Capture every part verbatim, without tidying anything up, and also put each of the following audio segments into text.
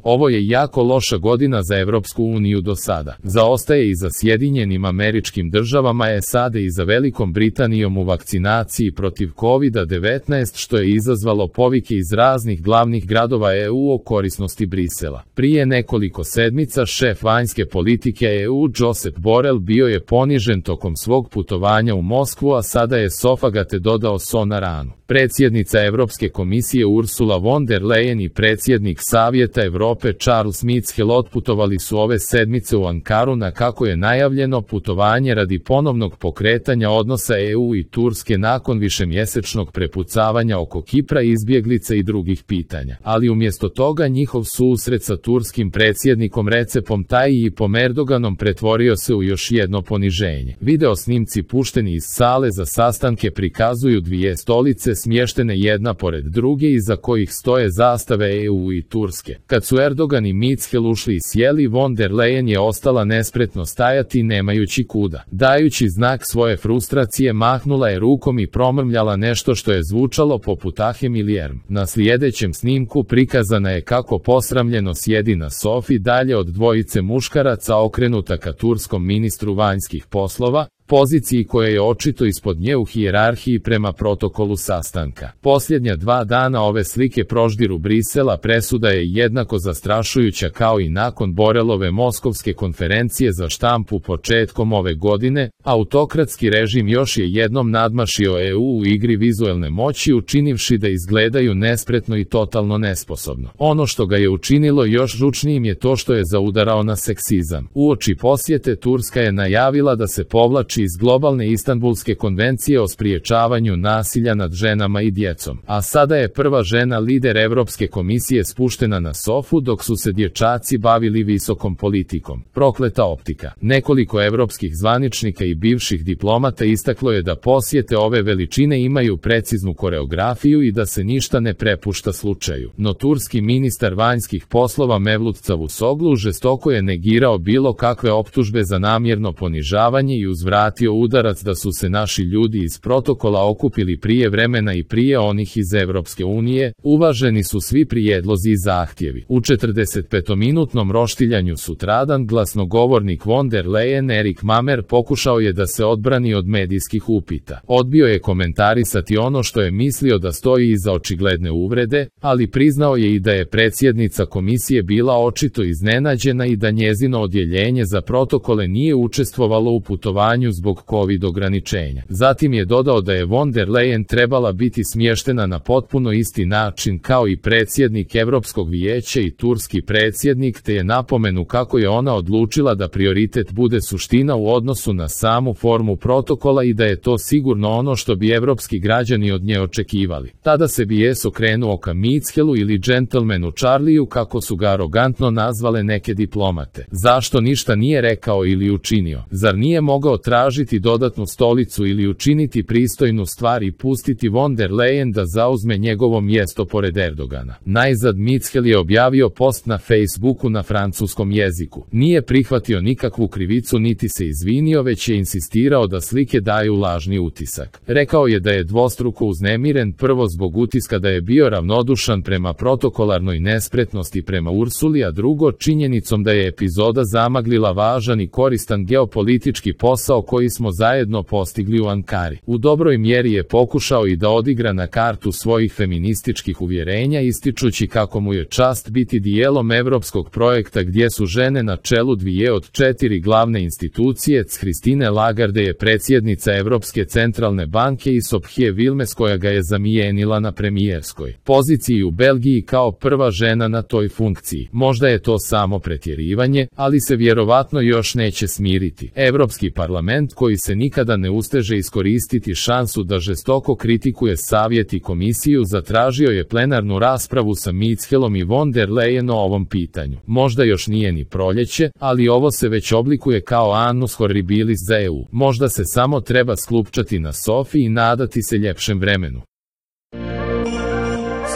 Ovo je jako loša godina za Evropsku uniju do sada. Zaostaje i za Sjedinjenim Američkim Državama S A D i za Velikom Britanijom u vakcinaciji protiv kovid devetnaest, što je izazvalo povike iz raznih glavnih gradova E U o korisnosti Brisela. Prije nekoliko sedmica šef vanjske politike E U Josep Borrell bio je ponižen tokom svog putovanja u Moskvu, a sada je Sofagate dodao so na ranu. Predsjednica Evropske komisije Ursula von der Leyen i predsjednik Savjeta Europe Charles Michel otputovali su ove sedmice u Ankaru na, kako je najavljeno, putovanje radi ponovnog pokretanja odnosa E U i Turske nakon višemjesečnog prepucavanja oko Kipra, izbjeglica i drugih pitanja. Ali umjesto toga njihov susret sa turskim predsjednikom Recepom Tayyipom Erdoganom pretvorio se u još jedno poniženje. Video snimci pušteni iz sale za sastanke prikazuju dvije stolice smještene jedna pored druge, iza kojih stoje zastave E U i Turske. Kad su Erdogan i Michel ušli i sjeli, von der Leyen je ostala nespretno stajati nemajući kuda. Dajući znak svoje frustracije, mahnula je rukom i promrmljala nešto što je zvučalo poput ahem ili erm. Na sljedećem snimku prikazana je kako posramljeno sjedi na sofi dalje od dvojice muškaraca okrenuta ka turskom ministru vanjskih poslova, poziciji koja je očito ispod nje u hijerarhiji prema protokolu sastanka. Posljednja dva dana ove slike proždiru Brisela presuda je jednako zastrašujuća kao i nakon Borelove moskovske konferencije za štampu početkom ove godine. Autokratski režim još je jednom nadmašio E U u igri vizuelne moći, učinivši da izgledaju nespretno i totalno nesposobno. Ono što ga je učinilo još žučnijim je to što je zaudarao na seksizam. Uoči posjete Turska je najavila da se povlači iz globalne Istanbulske konvencije o spriječavanju nasilja nad ženama i djecom. A sada je prva žena lider Europske komisije spuštena na sofu dok su se dječaci bavili visokom politikom. Prokleta optika. Nekoliko europskih zvaničnika i bivših diplomata istaklo je da posjete ove veličine imaju preciznu koreografiju i da se ništa ne prepušta slučaju. No turski ministar vanjskih poslova Mevlut Cavusoglu žestoko je negirao bilo kakve optužbe za namjerno ponižavanje i uzvratio udarac da su se naši ljudi iz protokola okupili prije vremena i prije onih iz Evropske unije. Uvaženi su svi prijedlozi i zahtjevi. U četrdesetpetominutnom roštiljanju sutradan glasnogovornik von der Leyen Erik Mamer pokušao je da se odbrani od medijskih upita. Odbio je komentarisati ono što je mislio da stoji iza očigledne uvrede, ali priznao je i da je predsjednica komisije bila očito iznenađena i da njezino odjeljenje za protokole nije učestvovalo u putovanju zbog covid ograničenja. Zatim je dodao da je von der Leyen trebala biti smještena na potpuno isti način kao i predsjednik Europskog vijeća i turski predsjednik, te je napomenu kako je ona odlučila da prioritet bude suština u odnosu na samu formu protokola i da je to sigurno ono što bi evropski građani od nje očekivali. Tada se bijes okrenuo ka Michelu ili džentlmenu Charliju, kako su ga arogantno nazvale neke diplomate. Zašto ništa nije rekao ili učinio? Zar nije mogao tražiti dodatnu stolicu ili učiniti pristojnu stvar i pustiti von der Leyen da zauzme njegovo mjesto pored Erdogana? Najzad Michel je objavio post na Facebooku na francuskom jeziku. Nije prihvatio nikakvu krivicu niti se izvinio, već je insistirao da slike daju lažni utisak. Rekao je da je dvostruko uznemiren, prvo zbog utiska da je bio ravnodušan prema protokolarnoj nespretnosti prema Ursuli, a drugo činjenicom da je epizoda zamaglila važan i koristan geopolitički posao koji smo zajedno postigli u Ankari. U dobroj mjeri je pokušao i da odigra na kartu svojih feminističkih uvjerenja, ističući kako mu je čast biti dijelom evropskog projekta gdje su žene na čelu dvije od četiri glavne institucije. Christine Lagarde je predsjednica Evropske centralne banke i Sofije Vilmes koja ga je zamijenila na premijerskoj poziciji u Belgiji kao prva žena na toj funkciji. Možda je to samo pretjerivanje, ali se vjerovatno još neće smiriti. Evropski parlament, koji se nikada ne usteže iskoristiti šansu da žestoko kritikuje savjet i komisiju, zatražio je plenarnu raspravu sa Michelom i von der Leyen o ovom pitanju. Možda još nije ni proljeće, ali ovo se već oblikuje kao annus horribilis za E U. Možda se samo treba sklupčati na sofi i nadati se ljepšem vremenu.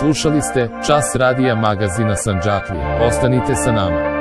Slušali ste Čas radija magazina Sandžaklija. Ostanite sa nama.